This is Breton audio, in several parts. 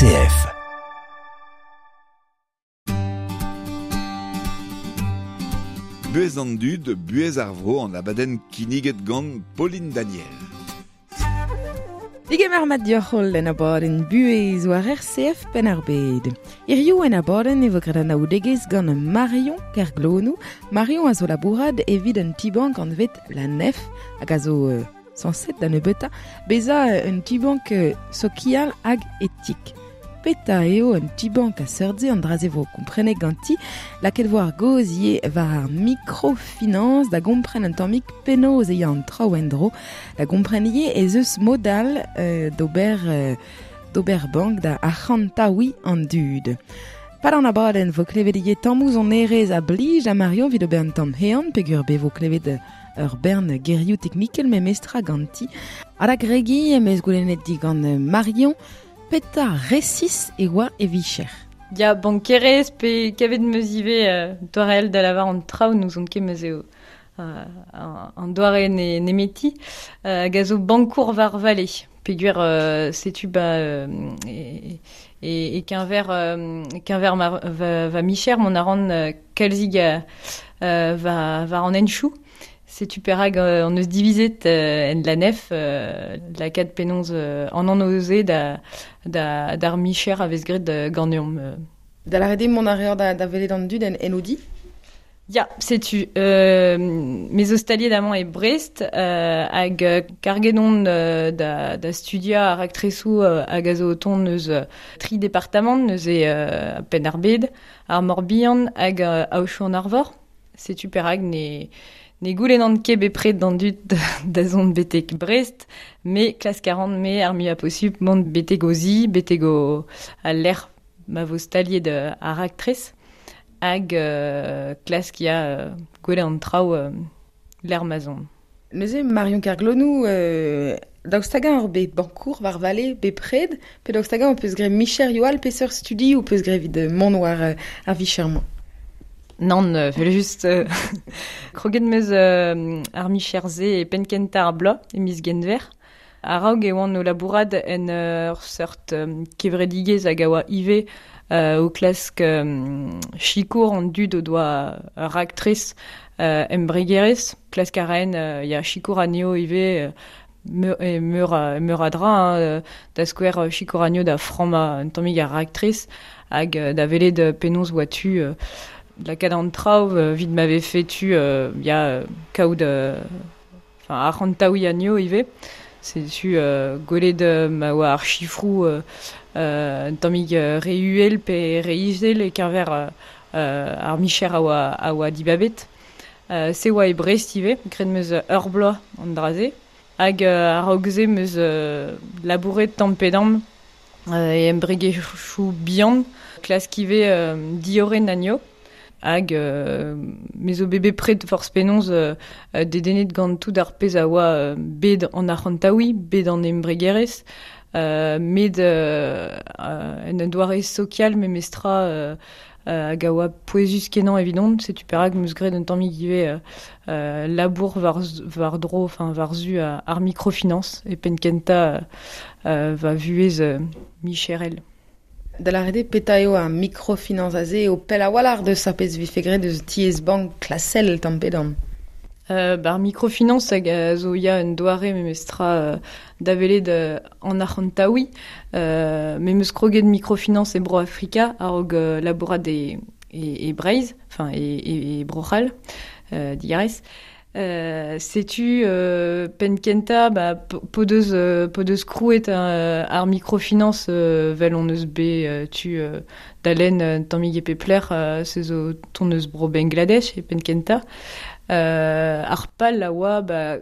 RCF. Buez an dud, buez ar vro an abadenn kinniget gant Pauline Daniel. Digemer mat dioc'hol en abadenn buez war RCF penn ar bed. Hiziv en abadenn e vo graet anaoudegezh gant Marion Kerglonou. Marion a zo labourad evit un ti-bank anvet La Nef hag a zo sañset da nebeutañ bezañ un ti-bank sokial hag etik. Petra eo un ti-bank a seurt-se an dra-se vo komprenet ganti, lakaet vo ar gaoz ivez war ar microfinance da gompren un tammig penaos e ya an traoù en-dro, da gompren ivez ez eus mod all d'ober d'ober bank da arc'hantaouiñ an dud. Pad an abadenn vo klevet ivez tammoù sonerezh a blij da Marion evit ober un tamm hean peogwir bet vo klevet ur bern gerioù teknikel memestra ganti. Ha da gregiñ em eus goulennet digant Marion petra resis e oa e vicher. Ya, bankerez pe kavet 'm eus ivez doare all da lavar an traoù n'ouzon ket ma 'z eo an doare nemeti hag a zo bankour war vale. Peogwir setu ba e keñver keñver ma va micher mont a ran kalzig war an henchoù. Setu perak hon eus divizet en La Nef lakaat penaos an anv-se da da d'ar micher a vez graet ganeomp. Da lâret eo mont a reor da welet an dud en o di? Ya, setu. Me zo staliet amañ e Brest hag karget on da da studiañ ar raktresoù hag a zo o tont eus tri departamant, neuze Penn-ar-Bed, ar Mor-Bihan hag Aochou-an-Arvor. Setu perak ne ne goulennan ket bepred d'an dud da zont betek Brest, me klask a ran me ar muiañ posupl mont betek o zi, betek o al lec'h ma vo staliet ar raktres hag klask ya gwelet an traoù lec'h ma 'z on. Neuze Marion Kerglonou, daoust hag-eñ oc'h bet bankour war vale bepred pe daoust hag-eñ ho peus graet micherioù all peseurt studioù ho peus graet evit mont war ar vicher-mañ? Nann, evel-just. Kroget 'm eus ar micher-se e penn-kentañ ar bloaz, e miz Genver. A-raok e oan o labourat en ur seurt kevredigezh hag a oa ivez o klask sikour an dud o doa ur raktres embregerezh. Klask a raen ya, sikour anezho ivez meur a, meur a dra, hein, da skouer sikour anezho da frammañ un tammig ar raktres hag da welet penaos oa tu lakaat an traoù evit ma vefe tu ya, kaout enfin, arc'hantaouiñ anezho ivez. Setu gwelet ma oa ar sifroù un tammig re uhel pe re izel e-keñver ar micher a oa, a oa dibabet. Se oa e Brest ivez, graet 'm eus ur bloaz an dra-se. Hag a-raok se 'm eus labouret tamm pe damm e embregerezhioù bihan, klask ivez diorren anezho. Hag me zo bet bepred forzh penaos dedennet gant tout ar pezh a oa bet an arc'hantaouiñ, bet an embregerezh, met en un doare sokial memestra hag a oa pouezus-kenañ evidon. Setu perak 'm eus graet un tammig ivez labour war-dro, enfin war-zu ar microfinance e penn-kentañ va vuhez micherel. Da lâret eo petra eo ar microfinance aze eo pell a-walc'h deus ar pezh 'vefe graet eus tiez-bank klasel tamm pe damm. Ar microfinance hag a zo ya un doare memestra da welet an arc'hantaouiñ. Me 'm eus kroget microfinance e Bro-Afrika a-raok labourat e, e, e Breizh, enfin e, e Bro-C'hall, digarez. Setu penn-kentañ ba, p'o deus p'o deus krouet ar microfinance 'vel hon eus bet tu da lenn un tammig e pep lec'h, se zo tont eus bro Bangladesh e penn-kentañ. Ar pal a oa ba,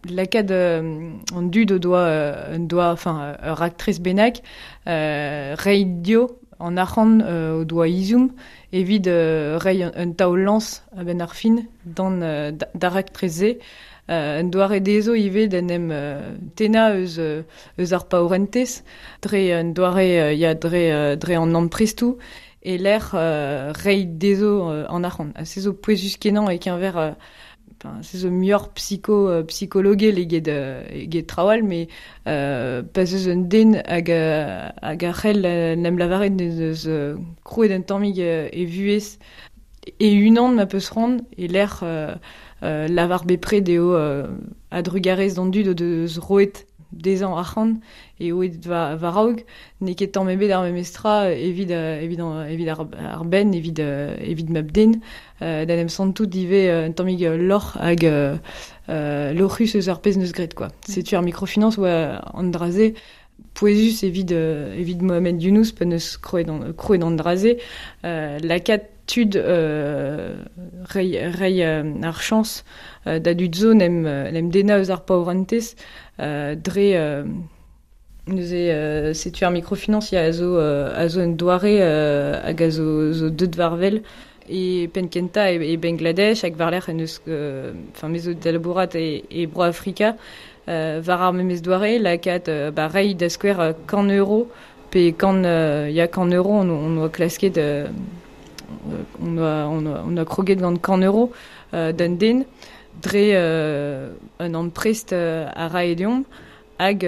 lakaat an dud o doa un doa enfin ur raktres bennak reiñ dezho an arc'hant o doa ezhomm evit reiñ un taol-lañs a-benn ar fin d'an d'ar raktres-se. Un doare dezho ivez d'en em tennañ eus eus ar paourentez dre un doare ya dre dre an amprestoù e-lec'h reiñ dezho an arc'hant. Ha se zo pouezus-kenañ e-keñver Se zo muioc'h psikologel eget traoù all, met pa 'z eus un den hag a c'hell en em lavaret en deus krouet un tammig e vuhez e-unan ma peus c'hoant, e-lec'h lavar bepred eo a-drugarez d'an dud o deus roet dezhañ arc'hant eo aet war-raok, n'eo ket tamm ebet ar memes tra evit ar benn, evit mab-den, da en em santout ivez un tammig lorc'h hag lorc'hus eus ar pezh 'neus graet quoi. Setu ar microfinance oa an dra-se pouezus evit Mohamed Yunus pa 'neus krouet an dra-se, lakaat tud reiñ ar chañs da dud zo 'n em dennañ eus ar paourentez dre neuze setu ar microfinance ya a zo un doare hag a zo deuet war-wel e penn-kentañ e Bangladesh hag war-lerc'h en deus enfin me zo da labourat e Bro-Afrika war ar memes doare lakaat reiñ da skouer 100 € pe 100 € on oa klasket on a kroget gant 100 € d'un den dre un amprest a rae deomp hag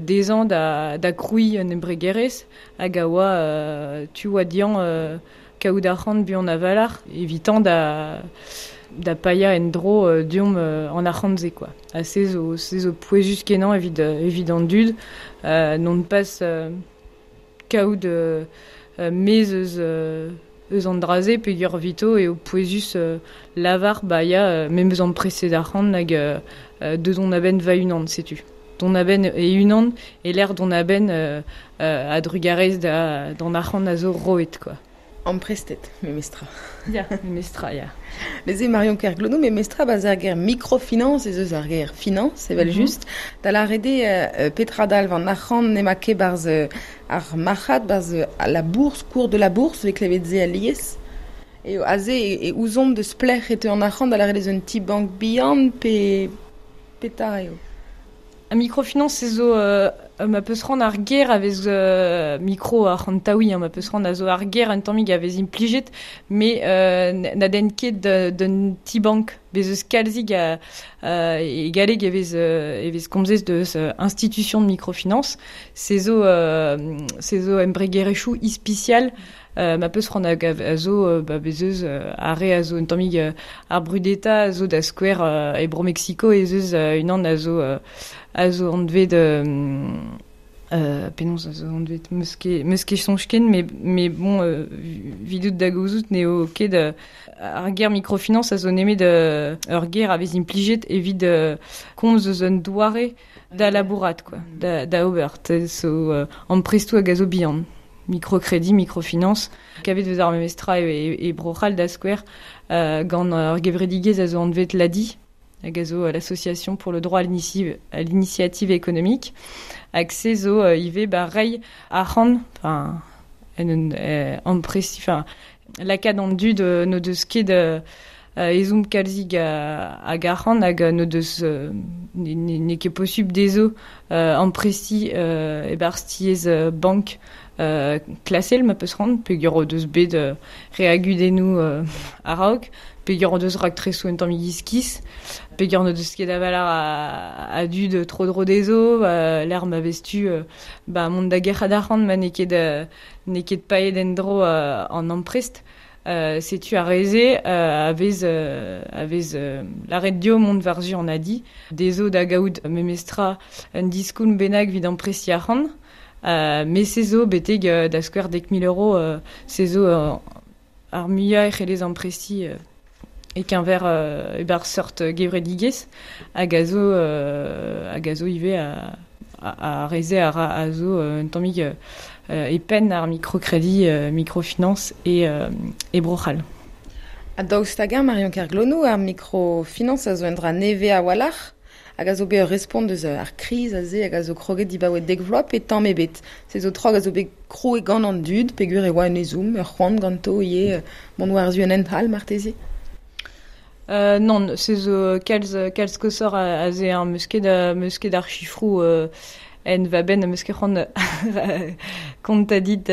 dezhañ da krouiñ un embregerezh hag a oa tu oa dezhañ kaout arc'hant buan a-walc'h evitañ da paeañ en-dro deomp an arc'hant-se quoi. Ha se zo pouezus-kenañ evit an dud non pas kaout mezh eus an dra-se peogwir evito eo pouezus lavar ba ya me 'm eus amprestet arc'hant hag deus on a-benn va-unan setu. Dont a-benn e-unan e-lec'h dont a-benn a-drugarez d'an arc'hant a zo roet quoi. Amprestet, memestra. Ya, memestra, ya. Neuze Marion Kerglonou, memestra 'ba ar ger microfinance ez eus ar ger finance evel just. Da lâret eo petra dalv an arc'hant n'emañ ket 'barzh ar marc'had, 'barzh la bourse, cours de la bourse, 'vez klevet se alies. Eo aze e ouzomp deus pelec'h e teu an arc'hant da lâret ez un ti-bank bihan pe petra eo. A microfinance zo ma peus c'hoant ar ger a vez micro arc'hantaouiñ ma peus c'hoant a zo ar ger un tammig a vez implijet met na den ket d'un ti-bank bez eus kalzig e galleg e vez komzet deus institution de microfinance se zo embregerezhioù ispisial ma peus c'hoant a zo ba bez eus ar re a zo un tammig ar brudetañ a zo da skouer e Bro-Mexico ez eus unan a zo anvet penaos a zo anvet 'meus ket soñj ken met bon 'vidout da gouzout n'eo ket ar ger microfinance a zo nemet ur ger a vez implijet evit komz eus un doare da labourat quoi da ober zo amprestoù hag a zo bihan microcrédit, microfinance kavet eus ar memes tra e Bro-C'hall da skouer gant ur gevredigezh a zo anvet l'ADI hag a zo l'association pour le droit à l'initiative économique hag se zo ivez ba reiñ arc'hant enfin en ampresti enfin lakaat an dud n'o deus ket ezhomm kalzig hag arc'hant hag n'o deus n'eo ket posubl dezho amprestiñ e-barzh tiez bank klasel ma peus c'hoant peogwir o deus bet re a gudennoù a-raok peogwir o deus raktresoù un tammig iskis peogwir n'o deus ket a-walc'h a dud tro-dro dezho lec'h ma vez tu ba mont da gerc'hat arc'hant ma n'eo ket paeet en-dro an amprest setu ar re-se a vez lâret dezho mont war-zu an ADI dezho da gaout memestra un diskoulm bennak evit amprestiñ arc'hant met se zo betek da skouer 10 000 € se zo ar muiañ e c'hellez amprestiñ e-keñver e-barzh seurt gevredigezh hag a zo ivez ar re-se a zo un tammig e penn ar microcrédit microfinance e Bro-C'hall. Ha daoust hag-eñ Marion Kerglonou ar microfinance a zo un dra nevez a-walc'h hag a zo bet ur respont deus ar kriz aze hag a zo kroget dibaoe 10 vloaz pe tamm ebet. Se zo traoù hag a zo bet krouet gant an dud peogwir e oa un ezhomm, ur c'hoant ganto ivez mont war-zu un hent all marteze. Nann, se zo kalz koshoc'h aze hein, 'meus ket ar sifroù en va benn, 'meus ket c'hoant kontañ dit.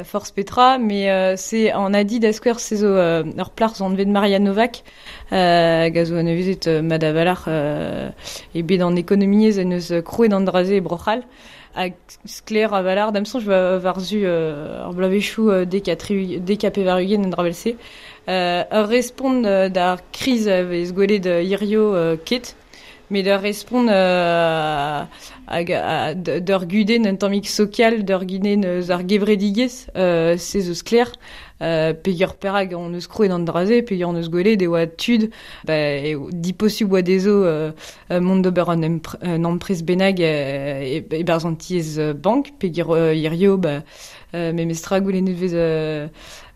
force petra, mais c'est an adi da skouer se zo ur plac'h zo anvet Maria Novak, hag a zo anavezet madavalar e bet an ekonomiezh en eus krouet an draze e Bro-C'hall, hag sklaer a-valar da'm soñj war-zu ar bloavezhioù dek ha pevar-ugent en dra vel-se. Ur respont d'ar kriz a vez gwelet hirio ket, met ur respont hag d'ur gudenn un tammig sokial, d'ur gudenn eus ar gevredigezh, se zo sklaer, peogwir perak hon eus krouet an dra-se, peogwir hon eus gwelet e oa tud, ba, eo diposubl oa dezho mont d'ober un amprest bennak e-barzh an tiez bank, peogwir hirio ba, memestra goulennet vez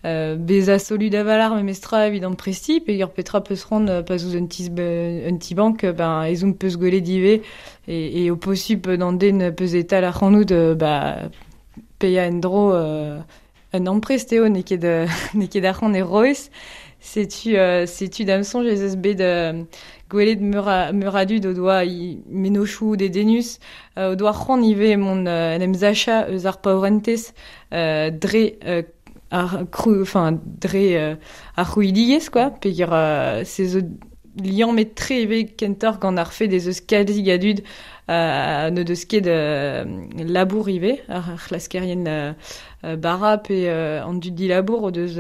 bezañ solud a-walc'h memestra evit amprestiñ, peogwir petra peus c'hoant pa 'z ouzh un ti-bank, ben ezhomm peus gwelet ivez eo posupl d'an den peus e-tal ac'hanout ba paeañ en-dro un amprest eo n'eo ket n'eo ket arc'hant e roez. Setu da'm soñj ez eus bet gwelet meur a dud o doa mennozhioù dedennus, o doa c'hoant ivez mont en em sachañ eus ar paourentez dre ar krou, enfin, dre ar c'hrouidigezh, quoi, peogwir se zo liammet-tre ivez kentoc'h gant ar fed ez eus kalzik a dud n'o deus ket labour ivez, ar c'hlaskerien bara pe an dud dilabour o deus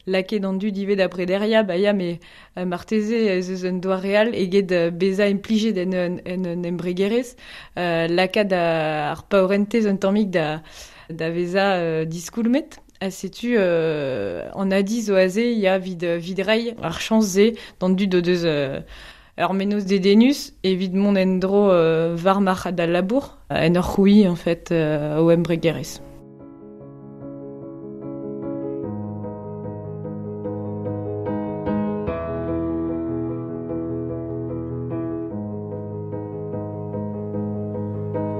lakaet an dud ivez da brederiañ, ba ya, met marteze ez eus un doare all eget bezañ implijet en un embregerezh, lakaat ar paourentez un tammig da vezañ diskoulmet. Ha setu an adi zo aze ya evit reiñ ar chañs-se d'an dud o deus ur mennozh dedennus evit mont en-dro war marc'had al labour en ur c'hrouiñ en fait o embregerezh.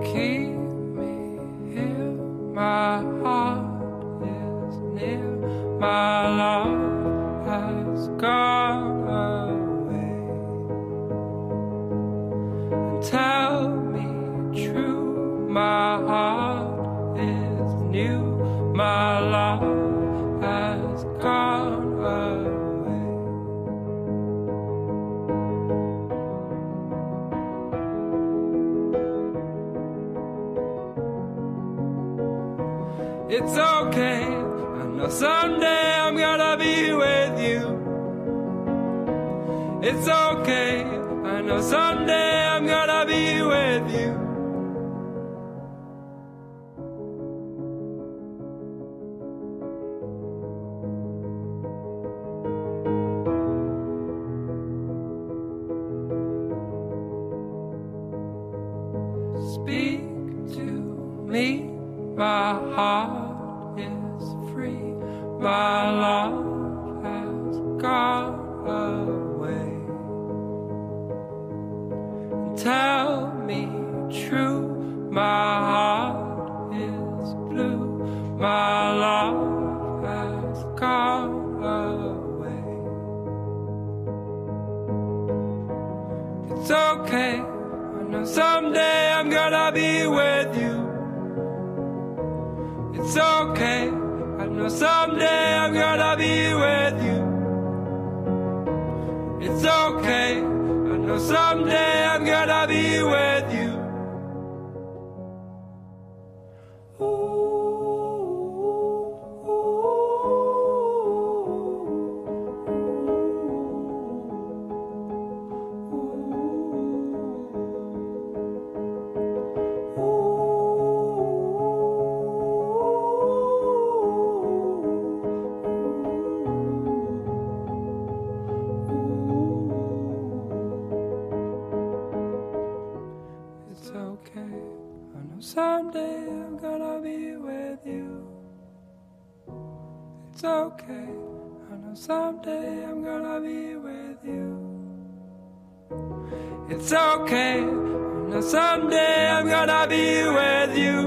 Keep me here, my heart is near, my love has gone away. And tell me true, my heart is new, my love has gone away. It's okay, I know someday I'm gonna be with you. It's okay, I know someday I'm gonna be with you. Speak to me, my heart is free, my love has gone away. And tell me true, my heart is blue, my love has gone away. It's okay, I know someday I'm gonna be with you. It's okay, I know someday I'm gonna be with you. It's okay, I know someday I'm gonna be with you. It's okay, I know someday I'm gonna be with you. It's okay, I know someday I'm gonna be with you. It's okay, I know someday I'm gonna be with you.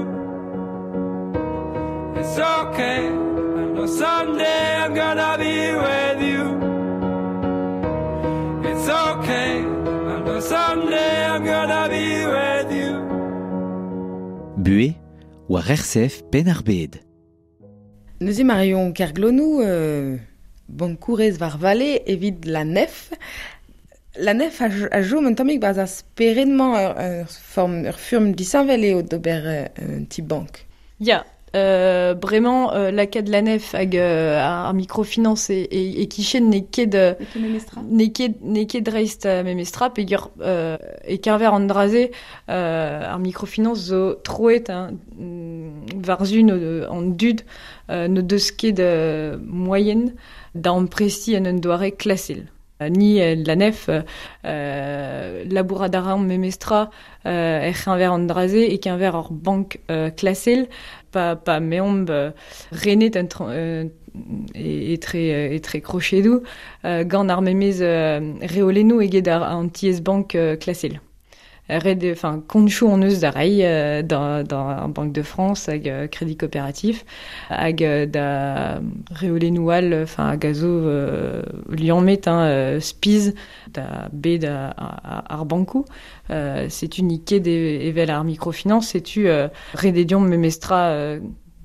It's okay, I know someday I'm gonna be with you. It's okay, I know someday I'm gonna be with you. Buhez war RCF Penn-ar-Bed. Neuze Marion Kerglonou, bankourez war vale evit la nef. La nef a jom un tammig barzh ar spered-mañ ur furm disheñvel eo d'ober un ti bank. Ya, bremañ lakaat la nef hag ar microfinance e kichen n'eo ket n'eo ket dreist memestra peogwir e keñver an dra-se ar microfinance zo troet hein, war-zu an dud n'o deus ket moaien da amprestiñ en un doare klasel. Ni la nef labourat a raomp memestra er c'heñver an dra-se e keñver ur bank klasel pa meomp renet etre krochedoù gant ar memez reolennoù eget an tiez-bank klasel. Ret, enfin, konchoù hon eus da reiñ da ar Banque de France hag Crédit Coopératif hag da reolennoù all, enfin, hag a zo liammet hein, spiz da bed ar bankoù. Setu n'eo ket evel ar microfinance, setu ret eo deomp memestra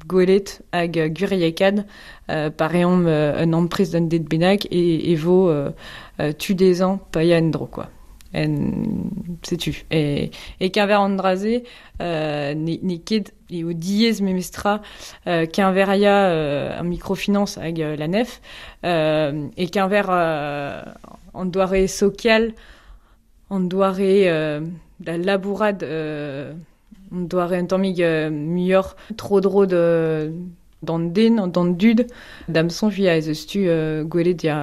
gwelet hag gwiriekaat pa reomp un amprest d'un den bennak e vo tu dezhañ paeañ en-dro quoi. Setu. E keñver an dra-se, n'eo ket eo diaes memestra keñveriañ ar microfinance hag la nef. E keñver an doare sokial, an doare da labourat, an doare un tammig muioc'h tro-dro d'an den, d'an dud, da'm soñj ya ez eus tu gwelet ya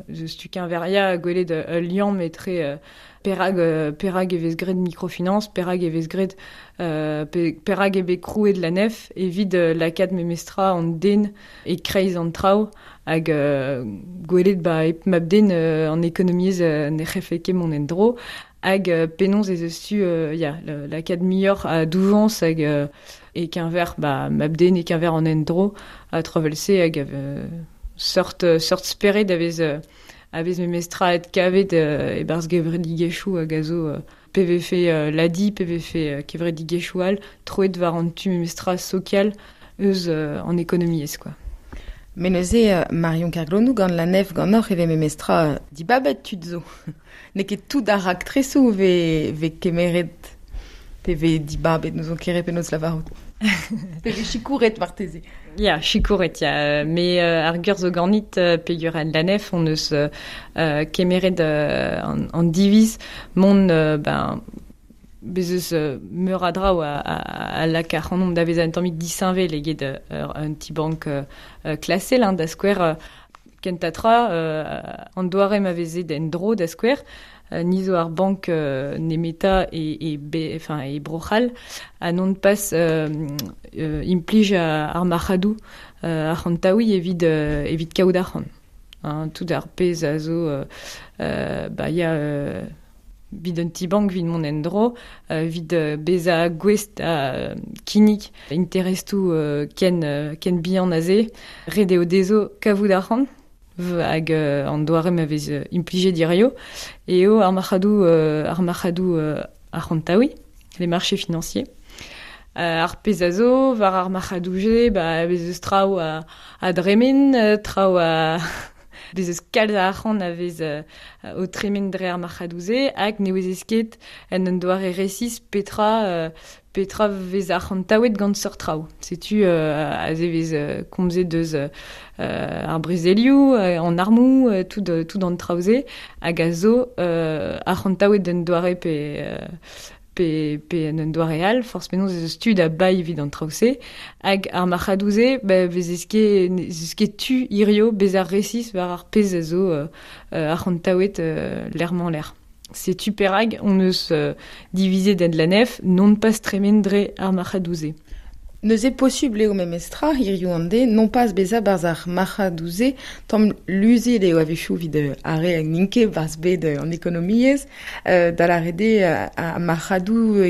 ez eus tu keñveriañ gwelet ul liamm etre perak e vez graet microfinance, perak e vez graet perak eo bet krouet la nef evit lakaat memestra an den e kreiz an traoù hag gwelet ba hep mab-den an ekonomiezh ne c'hellfe ket mont en-dro hag penaos ez eus tu ya lakaat muioc'h a doujañs hag e keñver ba mab-den e keñver an endro a travel-se hag seurt spered a vez memestra et kavet e-barzh gevredigezhioù hag a zo PVF l'ADI, PVF kevredigezhioù all troet war an tu memestra sokial eus an ekonomiezh quoi. Mais neuze Marion Kerglonou gant la nef ganeoc'h e vez memestra dibabet tud zo. N'eo ket tout ar raktresoù vez kemeret pe vez dibabet n'ouzon ket re penaos lavarout. Pe vez sikouret marteze. Ya, sikouret, ya. Me ar gur zo ganit peogwir en la nef hon eus kemeret an diviz mont ben bez eus meur a draoù a laka ac'hanomp da vezañ un tammig disheñvel eget un ti-bank klasel hein, da skouer kentañ tra an doare ma veze en-dro da skouer ni zo ar bank nemeta e Bro-C'hall ha non pas implij ar marc'hadoù arc'hantaouiñ evit kaout arc'hant. Hein, tout ar pezh a zo ba ya vid un ti-bank vid mont en-dro, vid bezañ gouest a kinnig interestoù ken bihan aze, ret eo dezho kavout arc'hant hag an doare ma vez implijet hirio eo ar marc'hadoù arc'hantaouiñ, les marchés financiers. Ar pezh a zo war ar marc'hadoù-se, ba bez eus traoù a dremen, traoù a bez eus kalz a arc'hant a vez o tremen dre ar marc'hadoù-se hag ne ouezez ket en un doare resis petra vez arc'hantaouet gant seurt traoù. Setu aze vez komzet deus ar brezelioù, an armoù, tout an traoù-se hag a zo arc'hantaouet d'un doare pe en un doare all, forzh penaos ez eus tu da baeiñ evit an traoù-se hag ar marc'hadoù-se ba vez eus ket tu hirio bezañ resis war ar pezh a zo arc'hantaouet lec'h-mañ-lec'h. Setu perak hon eus divizet en la nef non pas tremen dre ar marc'hadoù-se. Neuze posubl eo memestra hiziv an deiz non pas bezañ barzh ar marc'hadoù-se tamm luzet eo a-wechoù evit ar re n'int ket barzh bed an ekonomiezh da lâret eo ar marc'hadoù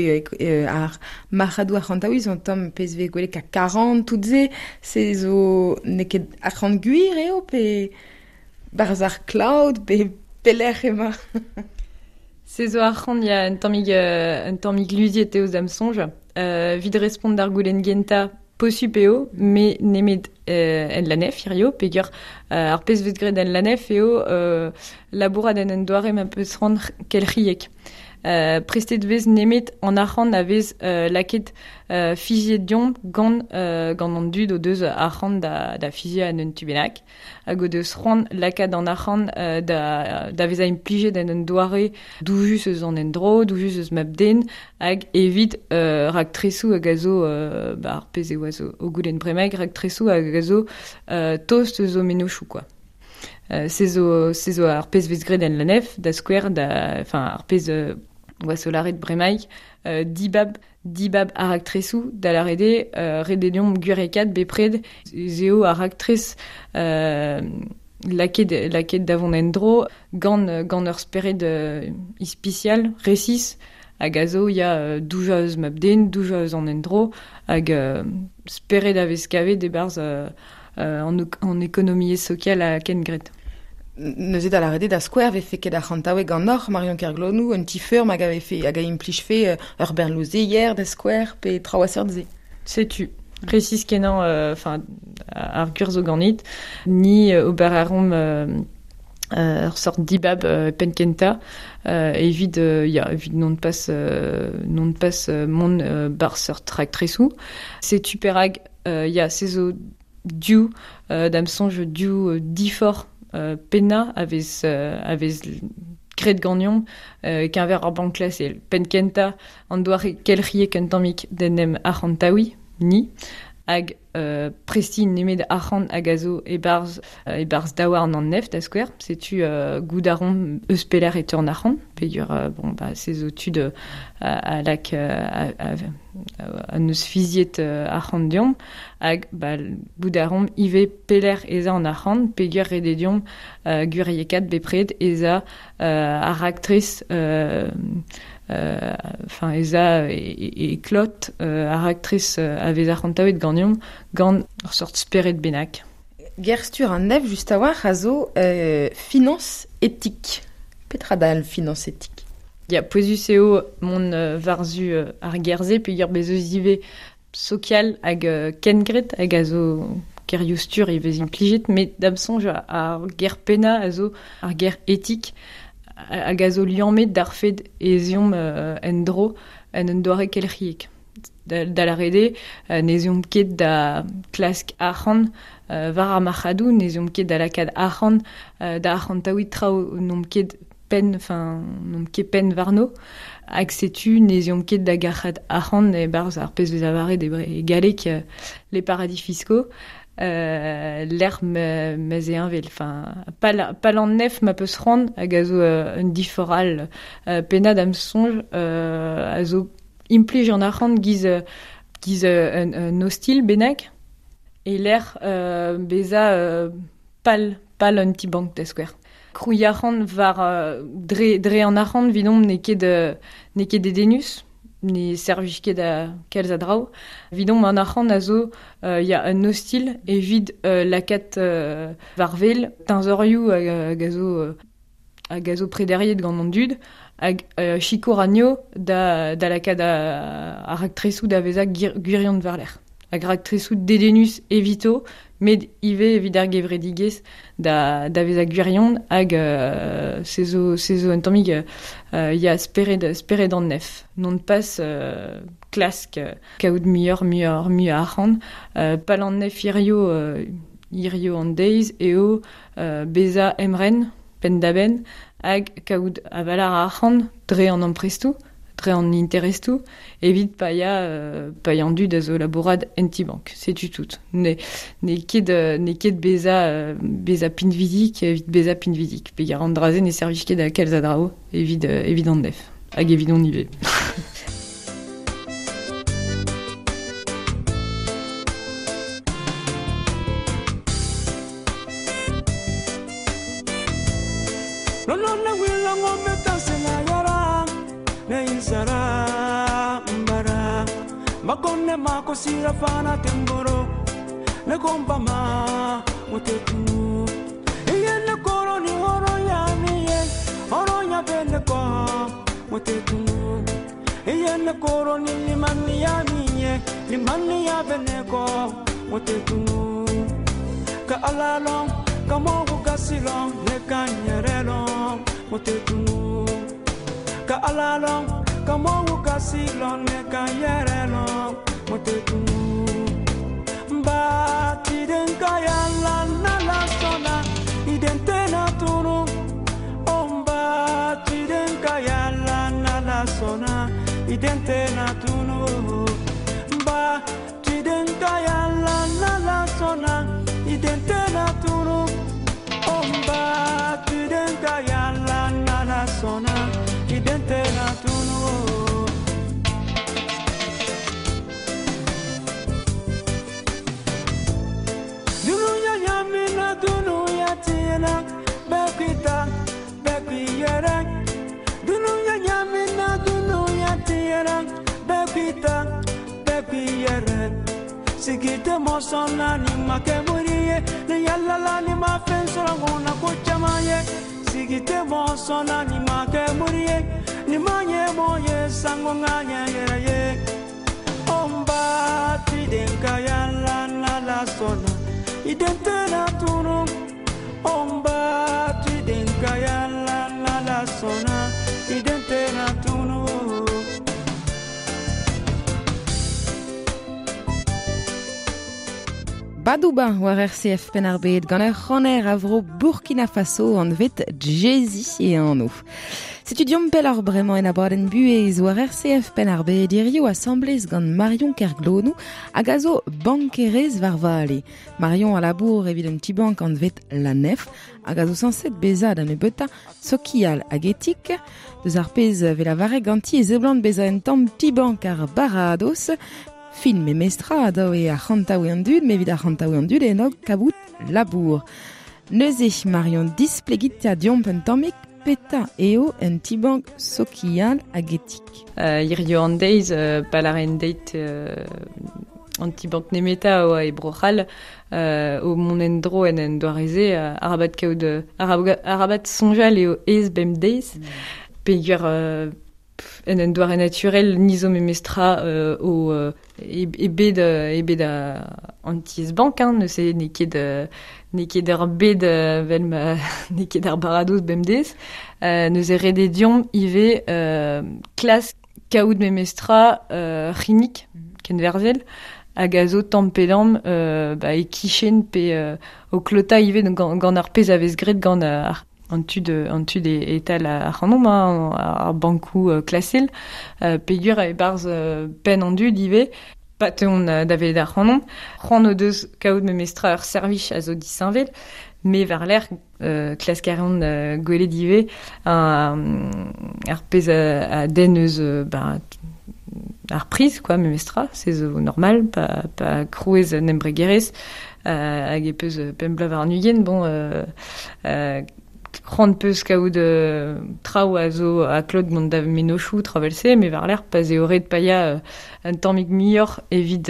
ar marc'hadoù arc'hantaouiñ zo un tamm pezh vez gwelet ka 40 tout se se zo n'eo ket arc'hant gwir eo pe barzh ar cloud pe pelec'h emañ. Se zo arc'hant ya un tammig luziet eo da'm soñj. Evit respont d'ar goulenn gentañ, Posupl eo, me nemet en la nef hirio, peogwir ar pezh vez graet en la nef eo labourat en un doare ma peus c'hoant kelc'hiek. Prestet vez nemet an arc'hant a vez lakaet fiziet deomp gant gant an dud o deus arc'hant da fiziañ en un tu bennak hag o deus c'hoant lakaat an arc'hant da vezañ implijet en un doare doujus eus an endro, doujus eus mab-den hag evit raktresoù hag a zo ba ar pezh e oa zo o goulenn bremaik raktresoù hag a zo tost eus o mennozhioù quoi. Se zo ar pezh vez graet en la nef, da skouer, da, enfin, ar pezh oa solaret bremaik, dibab ar raktresoù da lâret eo ret eo deomp gwirekaat bepred ez eo ar raktres lakaet da vont en-dro gant ur spered ispisial, resis, hag a zo ya doujañ eus mab-den, doujañ eus an endro, hag spered a vez kavet e-barzh an ekonomiezh sokial ha kengred. Neuze da lâret eo da skouer vefe ket arc'hantaoueg ganeoc'h Marion Kerglonou, un ti-feurm hag a vefe hag a implijfe ur bern louzeier da skouer pe traoù a seurt-se. Setu, presis kenañ enfin ar gwir zo ganit, ni ober a reomp ur sort dibab penn-kentañ evit ya evit non pas mont bar seurt raktresoù. Setu perak ya se zo div da'm soñj div diforc'h pennañ a vez graet ganeomp keñver ar bank klasel. Penn-kentañ an doare kelc'hiek un tammig d'en em arc'hantaouiñ, ni, hag prestiñ nemet arc'hant hag a zo e-barzh daouarn an nef da skouer. Setu goût a reomp eus pelec'h e teu an arc'hant, peogwir bon, bah, se zo tud a lak a neus fiziet arc'hant deomp, hag bah, goût a reomp ivez pelec'h ez a an arc'hant, peogwir ret eo deomp gwiriekaat bepred ez a ar raktres enfin ez a e klot ar raktres a vez arc'hantaouet ganeomp gant ur sort spered bennak. Gerstur an nef just a-walc'h a zo finance éthique. Petra dal finance éthique? Ya, pouezus eo mont war-zu ar ger-se peogwir bez eus ivez sokial hag kengred hag a zo gerioù-stur ivez implijet, met da'm soñj ar ger pennañ a zo ar ger éthique hag a zo liammet d'ar fed ez eomp en-dro en un doare kelc'hiek. Da lâret eo, n'ez eomp ket da klask arc'hant war ar marc'hadoù, n'ez eomp ket da lakaat arc'hant da arc'hantaouiñ traoù n'omp ket penn, enfin n'omp ket penn warno, hag setu n'ez eomp ket da gac'hat arc'hant e-barzh ar pezh vez lavaret e galleg les paradis fiscaux. Lec'h ma'z eo heñvel, enfin pal an nef ma peus c'hoant hag a zo un diforc'h all pennad am soñj a zo implij an arc'hant giz un ostilh bennak e lec'h bezañ pal un ti-bank da skouer. Krouiñ arc'hant war dre an arc'hant evidomp n'eo ket dedennus, ne servij ket a kalz a draoù. Evidomp an arc'hant a zo ya un ostilh evit lakaat war wel teñzorioù hag a zo prederiet gant an dud hag sikour anezho da lakaat ar raktresoù da vezañ gwirion war-lerc'h. Hag raktresoù dedennus evito, met ivez evit ar gevredigezh da vezañ gwirion hag se zo un tammig ya spered an nef. Non pas klask kaout muioc'h mui arc'hant. Pal an nef hirio an deiz eo bezañ emren penn-da-benn hag kaout avalar arc'hant dre an amprestoù, dre an interestoù, evit paeañ an dud a zo labourat en ti-bank. Setu tout. N'eo ket bezañ pinvidik evit bezañ pinvidik. Peogwir an dra-se ne servij ket da kalz a draoù evit an nef. Hag evit on ivez. Makonne makosira fana temboro ne komba ma mutetu iye ne koro ni oro ya ni ye oro ya bene ko mutetu Iyene koro ni limani ya minye limani ya beneko motetunu ka alalong ka mogu kasilong ne kanyerelong motetunu ka alalong ka mogu kasilong ne kanyerelong motetunu ba tidenka ya la na la sona idente na tunu omba tidenka ya la na la sona idente na tunu ba tidenka ya la na la sona idente na tunu omba tidenka ya la na la sona idente na tunu. Dunuya nyamina dunuya tiena bekita bekiyere dunuya nyamina dunuya tiena bekita bekiyere sigite mosona ni makemuriye ni yalala ni mafensora ngona kochamaye sigite mosona ni makemuriye ni manye moye sango nganye yere omba tidenka yala na la sona idente na tunu omba tidenka yala na la sona idente na tunu. Badouba war RCF Penn-ar-Bed gant ur c'haner a vro Burkina Faso an vet Jay-Z e anv. Setu diomp pell ar bremañ en abadenn buhez war RCF Penn-ar-Bed hirio asamblez gant Marion Kerglonou hag a zo bankerez war vale. Marion a labour evit un ti bank an vet La Nef hag a zo sañset bezañ da nebeutañ sokial hag etik. Deus ar pezh vel a vareg ganti e zeblant bezañ un tamm ti bank ar baradoz. Fin me mestra a e ar c'hantaoù an dud, me evit ar c'hantaoù an dud en kabout labour. Neuze Marion displegit a diomp un tammig peta eo un ti-bank sokial hag etik. Hirio an deiz, palaren deit an ti-bank nemeta oa e Bro-C'hall, o mont en dro en en doareze, arabat kaout, arabat soñjal eo ez bem deiz, peogwir en un doare naturel nizo memestra o e bed an tiez bank hein, ne se n'eo ket ar bed vel ma n'eo ket ar baradoz bemdez neuze ret eo diomp ivez klask kaout memestra c'hinik kenverzel hag a zo tamm pe damm ba e kichen pe o klota ivez gant ar pezh a vez graet gant ar an tud e tal ar c'hanomp ar bankoù klasel peogwir e barzh penn an dud ivez pa teont da welet ar c'hanomp c'hoant o deus kaout memestra ur servij a zo disheñvel me war lerc'h klask a reont gwelet ivez ar pezh a den eus ba ar priz quoi memestra se zo normal pa krouez un embregerezh hag e peus pemp bloaz war an ugent bon c'hoant peus kaout traoù a zo a klot gant da mennozhioù travel-se, me war lerc'h pa eo ret paeañ un tammig muioc'h evit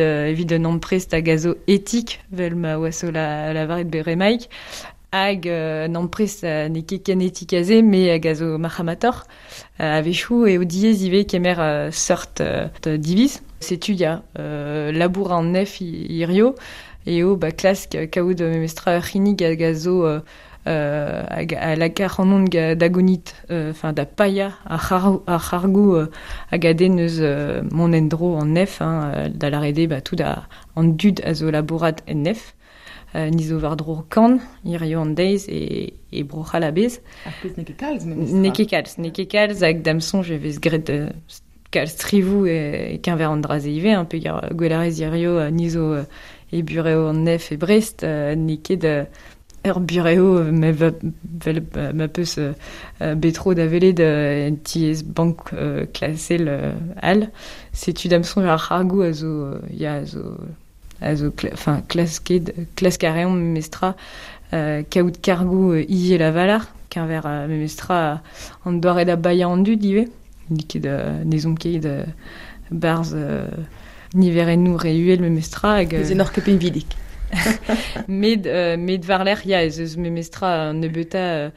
un amprest hag a zo etik, vel ma oa so la lavaret beremaik, hag un amprest n'eo ket ken etik aze, me hag a zo marc'hamator, a-wechoù eo diaes ivez kemer seurt diviz. Setu ya labour an nef hirio, eo ba klask kaout memestra ur c'hinnig hag a zo hag a laka c'hanon da gonit, enfin da paia ar c'hargoù hag a den eus mont en-dro an nef, hein, da lâret ba tout an dud a zo labourat en nef. Ni zo war-dro kan, hirio an deiz e Bro-C'hall a-bezh. Ar pezh n'eo ket kalz memestra. N'eo ket kalz hag da'm soñj e vez graet kalz trivoù e keñver an dra-se ivez, hein, peogwir gwelerez hirio ni zo e burev an nef e Brest, n'eo ket ur burev me vel ma peus betro da welet en tiez bank klasel all. Setu da'm soñj ar c'hargoù a zo ya a zo enfin klask a reomp memestra kaout kargoù ivez la valar keñver memestra an doare da baeañ an dud ivez. N'eo ket n'ez omp ket barzh niverennoù re uhel memestra hag ez en ket pinvidik. Met war-lerc'h, ya, ez eus memestra an nebeutañ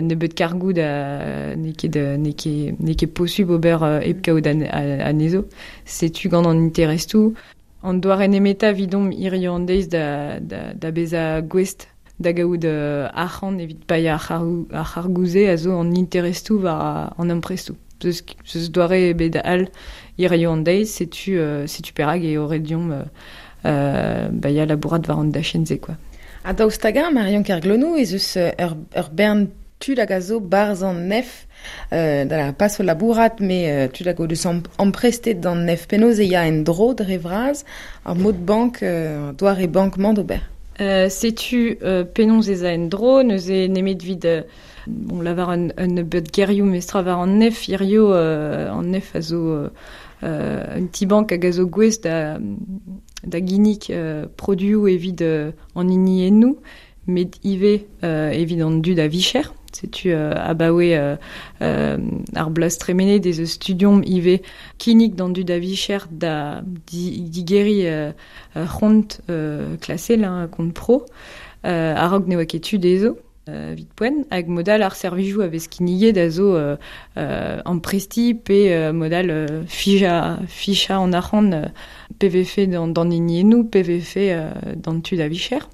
nebeut kargoù da n'eo ket n'eo ket posubl ober hep kaout anezho. Setu gant an interestoù. An doare nemetañ evidomp hiziv an deiz da bezañ gouest da gaout arc'hant evit paeañ ar c'hargoù-se a zo an interestoù war an amprestoù. Zeus doare ebet all hiziv an deiz, setu perak eo ret deomp ba ya labourat war an dachenn-se quoi. Ha daoust hag-eñ, Marion Kerglonou, ez eus ur bern tud hag a zo barzh an nef, da pas o labourat, met tud hag o deus amprestet d'an nef penaos e ya en-dro dre vras ar mod bank, doare bank-mañ d'ober. Setu penaos ez a en-dro, neuze nemet evit bon, lavar un nebeud gerioù mestra war an nef, hirio an nef a zo un ti-bank hag a zo gouest da ginnig produoù evit an hiniennoù, met ivez evit an dud a vicher. Setu abaoe ar bloaz tremenet ez eus studiomp ivez kinnig d'an dud a vicher da digeriñ c'hont klasel, hein, kont pro, a-raok ne oa ket tu dezho evit poent, hag modal ar servijoù a vez kinniget a zo amprestiñ pe modal fichañ an arc'hant PVF d'an hiniennoù, PVF d'an tud a vicher.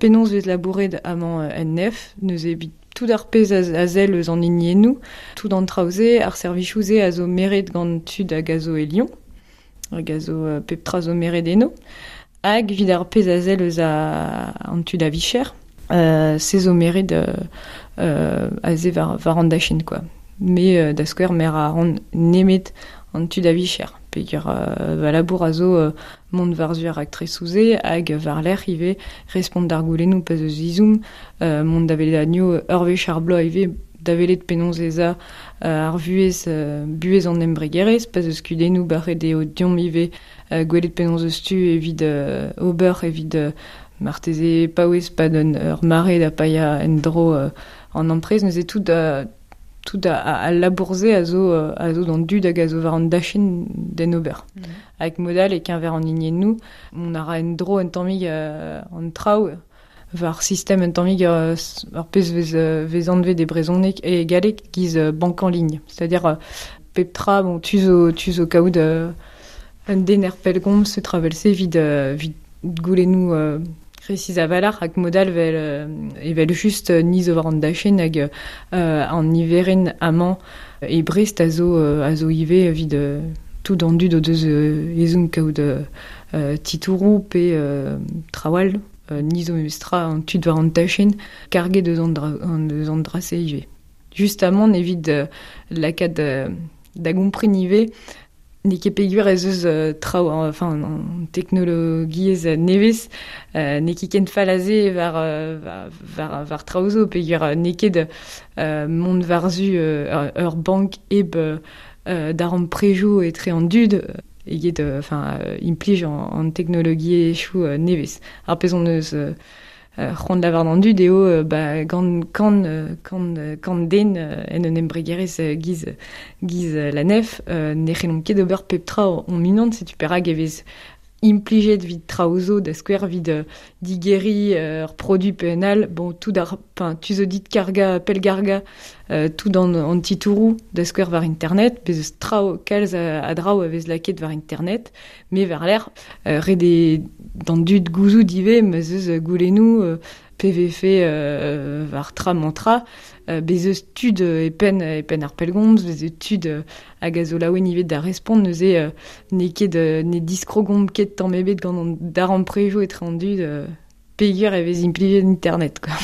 Penaos vez labouret amañ en nef, neuze evit tout ar pezh a sell eus an hiniennoù, tout an traoù-se, ar servijoù-se a zo meret gant tud hag a zo e Lyon, hag a zo pep tra zo meret eno, hag evit ar pezh a sell eus an tud a vicher, se zo meret aze war an dachenn quoi. Me da skouer mer a ran nemet an tud a vicher, peogwir va labour a zo mont war-zu ar raktresoù-se hag war-lerc'h ivez respont d'ar goulennoù pa eus izoum, mont da welet anezho ur wech ar bloaz ivez da welet penaos ez a ar vuhez buhez an embregerezh, pa eus kudennoù barret eo deomp ivez gwelet penaos eus tu evit ober evit marteze paouez pad ur mare da paeañ en-dro an amprest, neuze tout al labour-se a zo d'an dud hag a zo war an dachenn d'en ober. Hag modal e-keñver an hiniennoù, on a ra en-dro un tammig an traoù war sistem un tammig ar pezh vez anvet e brezhoneg e galleg giz banque en ligne. C'est-à-dire pep tra, bon, tu zo kaout un den er pellgomz se travelse evit goulennoù resis a-walc'h hag modal evel just ni zo war an dachenn hag an niverenn amañ e Brest a zo ivez evit tout an dud o deus ezhomm kaout titouroù pe traoù ni zo memestra an tud war an dachenn karget eus an dra-se ivez. Justamant evit lakaat da gompren ivez n'eo ket peogwir ez eus traoù, enfin, an teknologiezh nevez, n'eo ket ken fall aze war traoù zo, peogwir n'eo ket mont war-zu ur bank hep darempredoù etre an dud eget enfin, implij an teknologiezhioù nevez. Ar pezh hon eus c'hoant lavar d'an dud eo ba, gant kant den en un embregerezh giz la nef, ne c'hellomp ket ober pep tra hon unan, setu perak e vez implijet evit traoù zo, da skouer evit digeriñ ur produit penal, bon, tout ar, enfin, tu zo dit karga, pellgargañ, tout an titouroù da skouer war internet, bez eus traoù kalz a draoù a vez lakaet war internet, met war-lerc'h ret eo d'an dud gouzout ivez ma 'z eus goulennoù PVF war tra mañ tra, bez eus tud e penn ar pellgomz, bez eus tud hag a zo laouen ivez da respont, neuze n'eo ket ne diskrogomp ket tamm ebet gant an darempredoù etre an dud peogwir e vez implijet internet quoi.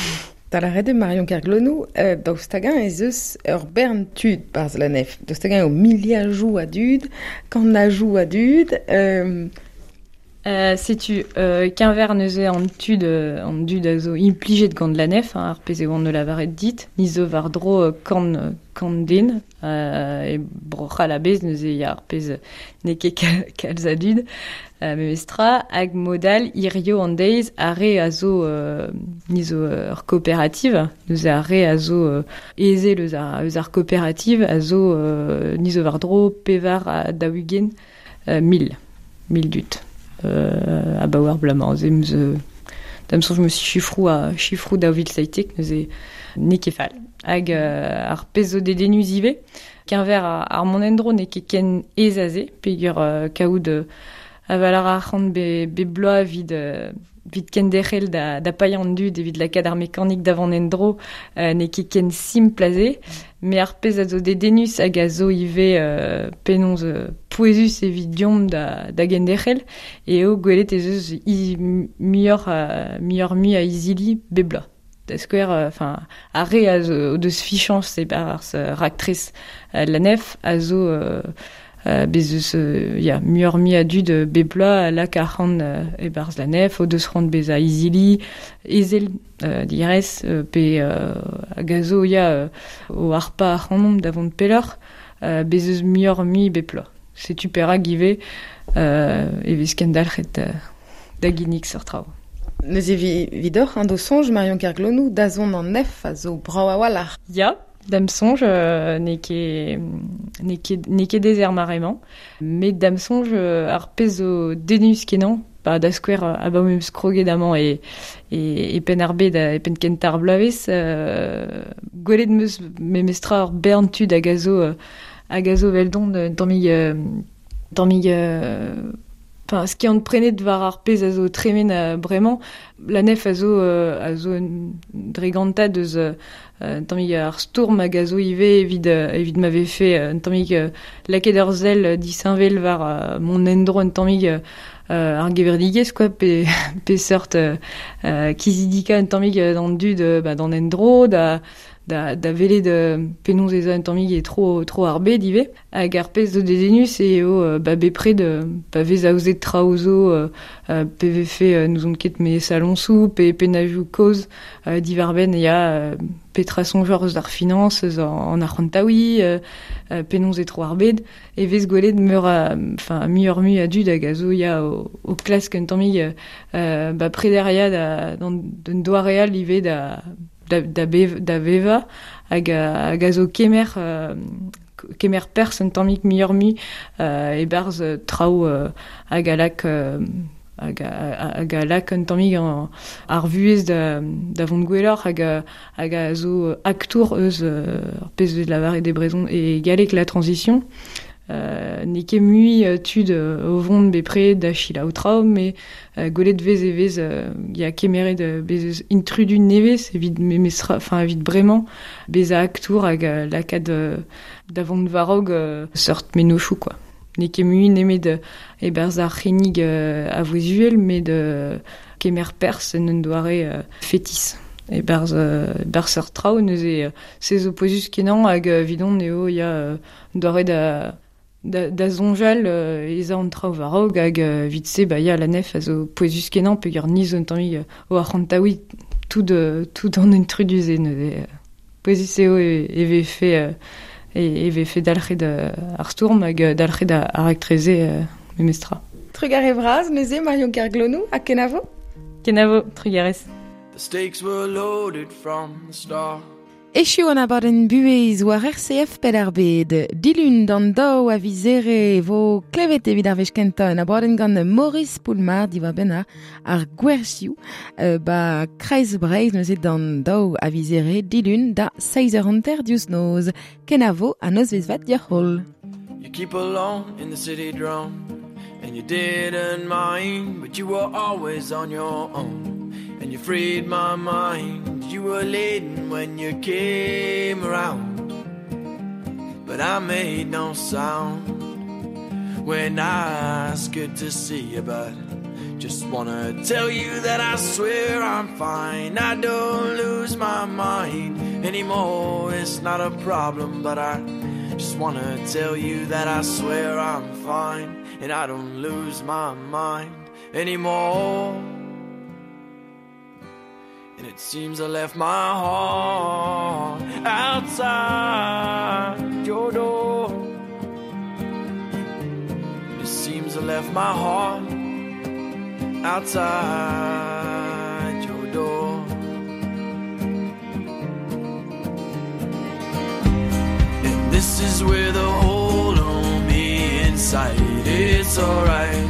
Da lâret eo Marion Kerglonou, daoust hag-eñ ez eus ur bern tud barzh la nef, daoust hag-eñ eo miliajoù a dud, kannajoù a dud. Setu keñver neuze an dud a zo implijet gant la nef, hein, ar pezh eo an lavaret dit, ni zo war-dro kant den, e Bro-C'hall a-bezh neuze ya ar pezh n'eo ket kalz a dud, memestra, hag modal hirio an deiz ar re a zo ni zo ur kooperative, neuze ar re a zo ezel eus ar kooperative a zo ni zo war-dro 44 mil dud. Abaoe ar bloaz-mañ se 'm eus da'm soñj 'm eus chifroù ha chifroù 2017 neuze n'eo ket fall. Hag ar pezh zo dedennus ivez, keñver ar mont en-dro n'eo ket ken aes aze, peogwir kaout aval ar arc'hant bep bloaz evit kenderc'hel da paeañ an dud evit lakaat ar mekanik da vont en-dro n'eo ket ken simpl aze. Met ar pezh a zo dedennus hag a zo ivez penaos pouezus evit deomp da genderc'hel eo gwelet ez eus muioc'h-mui a izili bep bloaz. Da skouer, enfin, ar re a zo o deus fichañs e-barzh raktres La Nef a zo bez eus ya, muioc'h-mui a dud bep bloaz a lak arc'hant e-barzh La Nef, o deus c'hoant bezañ izili, ezel direz, pe hag a zo ya, o harpañ ac'hanomp da vont pelloc'h, bez eus muioc'h-mui bep bloaz. Setu perak ivez e vez kendalc'het da ginnig seurt traoù. Neuze vidoc'h an do soñj Marion Kerglonou da zont an nef a zo brav a-walc'h. Ya, da'm soñj n'eo ket aes er mare-mañ. Met da'm soñj ar pezh zo dedennus-kenañ, ba da skouer abaoe m'em eus kroget amañ e Penn-ar-Bed e penn kentañ ar bloavezh, gwelet 'm eus memestra ur bern tud hag a zo eveldon un tammig enfin, skiant-prenet war ar pezh a zo tremen bremañ. La Nef a zo un dregantad eus un tammig ar stourm hag a zo ivez evit ma vefe un tammig lakaet ur sell disheñvel war mont en-dro un tammig ar gevredigezh quoi, pe seurt kizidikañ un tammig d'an dud d'an endro, da welet penaos ez a un tammig e tro ar bed ivez. Hag ar pezh zo dedennus eo bepred pa vez aozet traoù zo pe vefe n'ouzon ket me saloñsoù pe pennajoù kozh diwar-benn ya petra soñjoc'h eus ar finañs, eus an arc'hantaouiñ, penaos e tro ar bed, e vez gwelet muioc'h-mui a dud hag a zo ya o klask un tammig prederia d'un doare all ivez da vevañ hag a zo kemer perzh un tammig muioc'h-mui e-barzh traoù hag a lak hag a lak un tammig ar vuhez da vont gwelloc'h hag a zo aktour eus ar pezh vez lavaret e brezhon e galleg la transition. N'eo ket mui tud o vont bepred da selaou traoù, met gwelet vez e vez ya kemeret bez eus intrudu nevez evit memestra, enfin evit bremañ bezañ aktour hag lakaat da vont war-raok seurt mennozhioù quoi. N'eo ket mui nemet e-barzh ar c'hinnig a vouezh uhel, met kemer perzh en un doare fetis. E-barzh seurt traoù neuze se zo pouezus-kenañ hag evidon eo ya doare da soñjal ez a an traoù war-raok hag evit se ya la Nef a zo pouezus-kenañ peogwir ni zo un tammig o arc'hantaouiñ tout an intrudu-se neuze pouezus eo e vefe dalc'het ar stourm hag dalc'het ar raktreze memestra. Trugarez vras neuze Marion Kerglonou ha kenavo? Kenavo, trugarez. The stakes were loaded from the start. Echu an abadenn buhez war RCF Penn-ar-Bed. Dilun d'an daou a viz Here vo klevet evit ar wech kentañ un abadenn gant Maurice Poulmard diwar-benn ar gwerzhioù ba Kreiz Breizh neuze d'an daou a viz Here dilun da 7h30 diouzh noz. Kenavo ha nozvezh vat dioc'h holl. You keep alone in the city drone and you didn't mind, but you were always on your own. And you freed my mind. You were laden when you came around, but I made no sound when I asked good to see you. But just wanna tell you that I swear I'm fine. I don't lose my mind anymore. It's not a problem, but I just wanna tell you that I swear I'm fine, and I don't lose my mind anymore. And it seems I left my heart outside your door. And it seems I left my heart outside your door. And this is where the hole on me inside. It's alright,